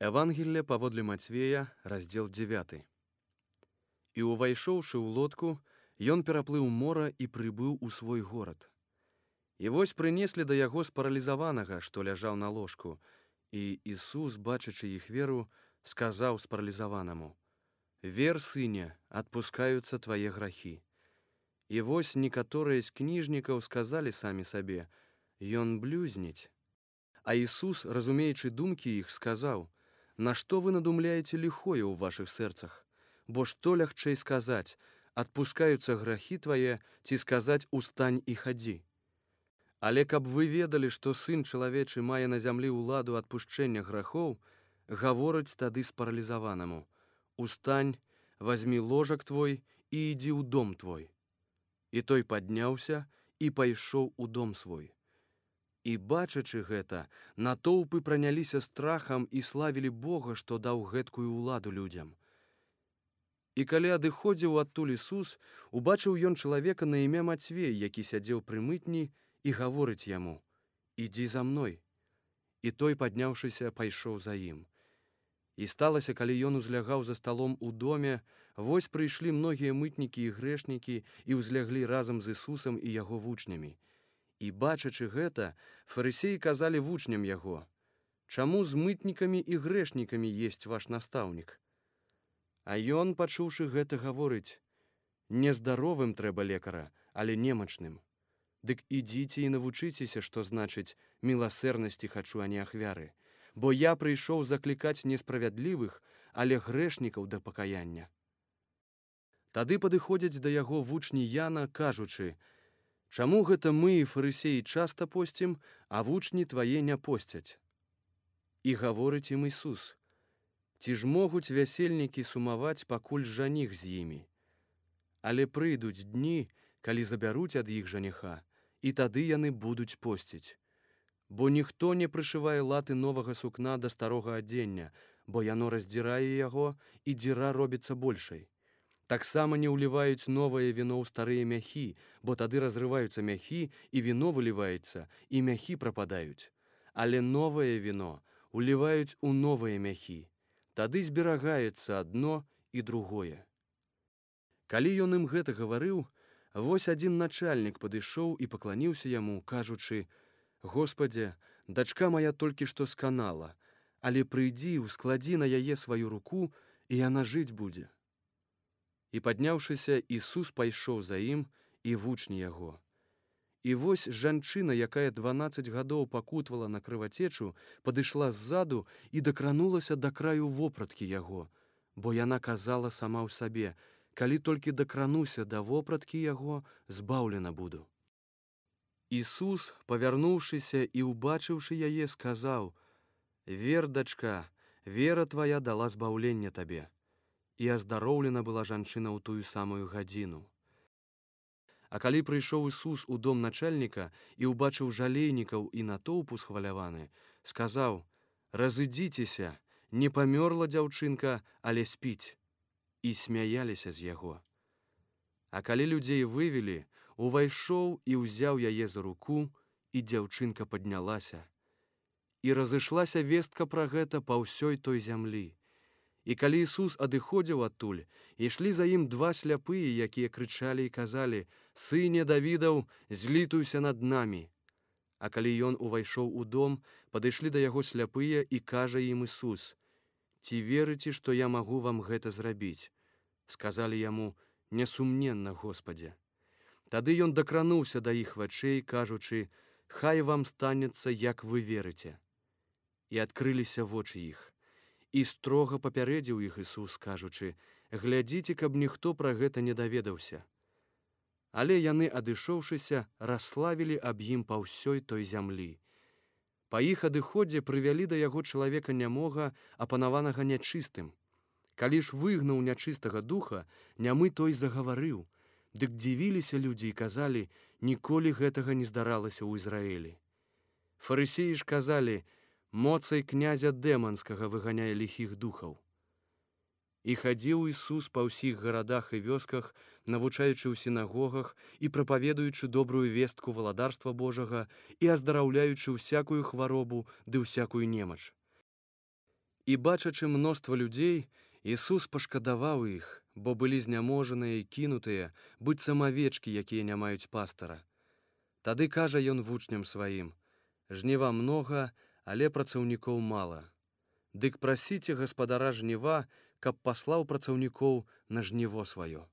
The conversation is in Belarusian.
Евангелие паводле Мацвея, раздзел 9. І увайшоўшы ў лодку, ён пераплыў мора і прыбыў у свой горад. І вось прынеслі да яго спаралізаванага, што ляжаў на ложку, і Ісус, бачачы іх веру, сказаў спаралізаванаму: «Вер, сыне, адпускаюцца твае грахі». І вось некаторыя з кніжнікаў сказалі самі сабе: «Ён блюзніць». А Ісус, разумеючы думкі іх, сказаў: «Нашто вы надумляеце ліхое ў вашых сэрцах? Бо што лягчэй сказаць: адпускаюцца грахі твае, ці сказаць: устань і хадзі? Але каб вы ведалі, што Сын чалавечы мае на зямлі ўладу адпушчэння грахоў, гаворыць тады спаралізаванаму: устань, вазьмі ложак твой і ідзі ў дом твой. І той падняўся і пайшоў у дом свой. І, бачачы гэта, натоўпы праняліся страхам і славілі Бога, што даў гэткую ўладу людзям. І калі адыходзіў адтуль Ісус, убачыў ён чалавека на імя Мацвей, які сядзеў пры мытні, і гаворыць яму: «Ідзі за мной». І той, падняўшыся, пайшоў за ім. І сталася, калі ён узлягаў за сталом у доме, вось прыйшлі многія мытнікі і грэшнікі і ўзляглі разам з Ісусам і яго вучнямі. І, бачачы гэта, фарысеі казалі вучням яго: «Чаму з мытнікамі і грэшнікамі есць ваш настаўнік?» А ён, пачуўшы гэта, гаворыць: «Нездаровым трэба лекара, але немачным. Дык ідзіце і навучыцеся, што значыць: міласэрнасці хачу, а не ахвяры. Бо я прыйшоў заклікаць несправядлівых, але грэшнікаў да пакаяння». Тады падыходзяць да яго вучні Яна, кажучы: «Чаму гэта мы, фарысеі, часта посцім, а вучні твае не посцяць?» І гаворыць ім Ісус: «Ці ж могуць вясельнікі сумаваць, пакуль жаніх з імі? Але прыйдуць дні, калі забяруць ад іх жаніха, і тады яны будуць посціць. Бо ніхто не прышывае латы новага сукна да старога адзення, бо яно раздзірае яго, і дзіра робіцца большай. Таксама не ўліваюць новае віно ў старыя мяхі, бо тады разрываюцца мяхі, і віно выліваецца, і мяхі прападаюць. Але новае віно ўліваюць у новыя мяхі, тады зберагаецца адно і другое». Калі ён ім гэта гаварыў, вось адзін начальнік падышоў і пакланіўся яму, кажучы: «Господзе, дачка мая толькі што сканала, але прыйдзі, ускладзі на яе сваю руку, і яна жыць будзе». І, падняўшыся, Ісус пайшоў за ім, і вучні яго. І вось жанчына, якая 12 гадоў пакутвала на крывацечу, падышла ззаду і дакранулася да краю вопраткі яго, бо яна казала сама ў сабе: «Калі толькі дакрануся да вопраткі яго, збаўлена буду». Ісус, павярнуўшыся і ўбачыўшы яе, сказаў: «Вер, дачка, вера твая дала збаўленне табе». І аздароўлена была жанчына ў тую самую гадзіну. А калі прыйшоў Ісус у дом начальніка і ўбачыў жалейнікаў і натоўпу схваляваны, сказаў: «Разыдзіцеся, не памёрла дзяўчынка, але спіць». І смяяліся з яго. А калі людзей вывелі, увайшоў і ўзяў яе за руку, і дзяўчынка паднялася. І разышлася вестка пра гэта па ўсёй той зямлі. І калі Ісус адыходзіў адтуль, ішлі за ім два сляпыя, якія крычалі і казалі: «Сыне Давідаў, злітуйся над намі». А калі ён увайшоў у дом, падышлі да яго сляпыя, і кажа ім Ісус: «Ці верыце, што я магу вам гэта зрабіць?» Сказалі яму: «Несумненна, Господзе». Тады ён дакрануўся да іх вачэй, кажучы: «Хай вам станецца, як вы верыце». І адкрыліся вочы іх. І строга папярэдзіў іх Ісус, кажучы: «Глядзіце, каб ніхто пра гэта не даведаўся». Але яны, адышоўшыся, расславілі аб ім па ўсёй той зямлі. Па іх адыходзе прывялі да яго чалавека нямога, апанаванага нячыстым. Калі ж выгнаў нячыстага духа, нямы той загаварыў. Дык дзівіліся людзі і казалі: «Ніколі гэтага не здаралася ў Ізраілі». Фарысеі ж казалі: «Моцай князя дэманскага выганяе ліхіх духаў». І хадзіў Ісус па ўсіх гарадах і вёсках, навучаючы ў сінагогах і прапаведуючы добрую вестку валадарства Божага і аздараўляючы ўсякую хваробу ды ўсякую немач. І, бачачы мноства людзей, Ісус пашкадаваў іх, бо былі зняможаныя і кінутыя, быццам авечкі, якія не маюць пастара. Тады кажа ён вучням сваім: «Жніва многа, але працаўнікоў мала. Дык прасіце гаспадара жніва, каб паслаў працаўнікоў на жніво сваё».